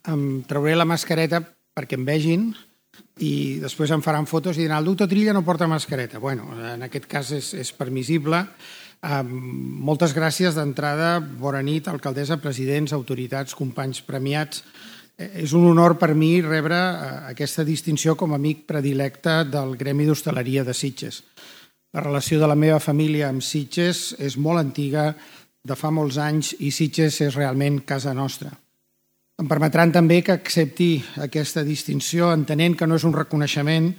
em trauré la mascareta perquè em vegin i després em faran fotos i diran el doctor Trilla no porta mascareta. Bueno, en aquest cas és permissible. Moltes gràcies d'entrada, bona nit, alcaldessa, presidents, autoritats, companys premiats. És un honor per mi rebre aquesta distinció com a amic predilecte del Gremi d'Hostaleria de Sitges. La relació de la meva família amb Sitges és molt antiga, de fa molts anys, i Sitges és realment casa nostra. Em permetran també que accepti aquesta distinció entenent que no és un reconeixement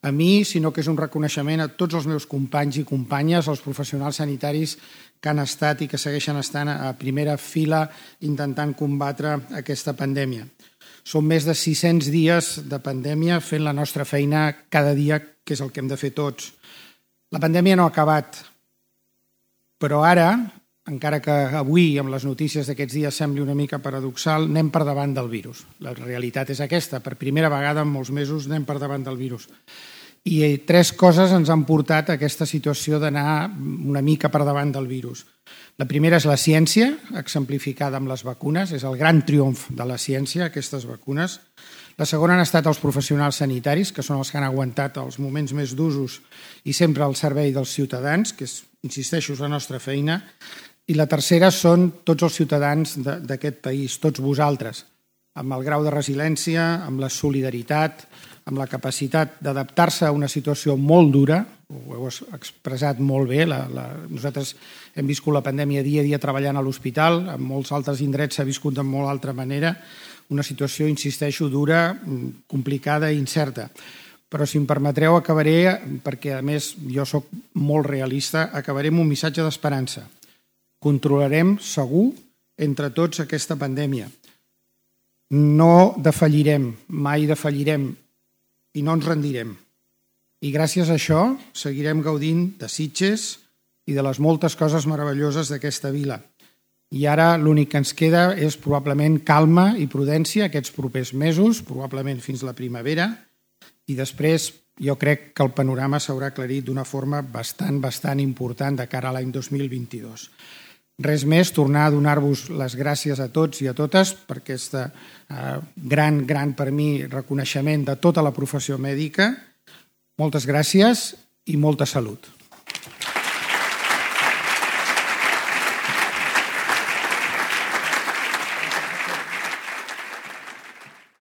a mi, sinó que és un reconeixement a tots els meus companys i companyes, els professionals sanitaris que han estat i que segueixen estant a primera fila intentant combatre aquesta pandèmia. Són més de 600 dies de pandèmia fent la nostra feina cada dia, que és el que hem de fer tots. La pandèmia no ha acabat, però ara, encara que avui, amb les notícies d'aquests dies, sembli una mica paradoxal, anem per davant del virus. La realitat és aquesta. Per primera vegada en molts mesos anem per davant del virus. I 3 coses ens han portat a aquesta situació d'anar una mica per davant del virus. La primera és la ciència, exemplificada amb les vacunes. És el gran triomf de la ciència, aquestes vacunes. La segona han estat els professionals sanitaris, que són els que han aguantat els moments més d'usos i sempre al servei dels ciutadans, que és, insisteixo, la nostra feina. I la tercera són tots els ciutadans d'aquest país, tots vosaltres, amb el grau de resiliència, amb la solidaritat, amb la capacitat d'adaptar-se a una situació molt dura, ho heu expressat molt bé, nosaltres hem viscut la pandèmia dia a dia treballant a l'hospital, en molts altres indrets s'ha viscut de molt altra manera, una situació, insisteixo, dura, complicada i incerta. Però si em permetreu acabaré, perquè a més jo soc molt realista, acabaré amb un missatge d'esperança. Controlarem segur entre tots aquesta pandèmia. No defallirem, mai defallirem i no ens rendirem. I gràcies a això seguirem gaudint de Sitges i de les moltes coses meravelloses d'aquesta vila. I ara l'únic que ens queda és probablement calma i prudència aquests propers mesos, probablement fins la primavera, i després jo crec que el panorama s'haurà aclarit d'una forma bastant important de cara a l'any 2022. Res més, tornar a donar-vos les gràcies a tots i a totes per aquest gran per mi reconeixement de tota la professió mèdica. Moltes gràcies i molta salut.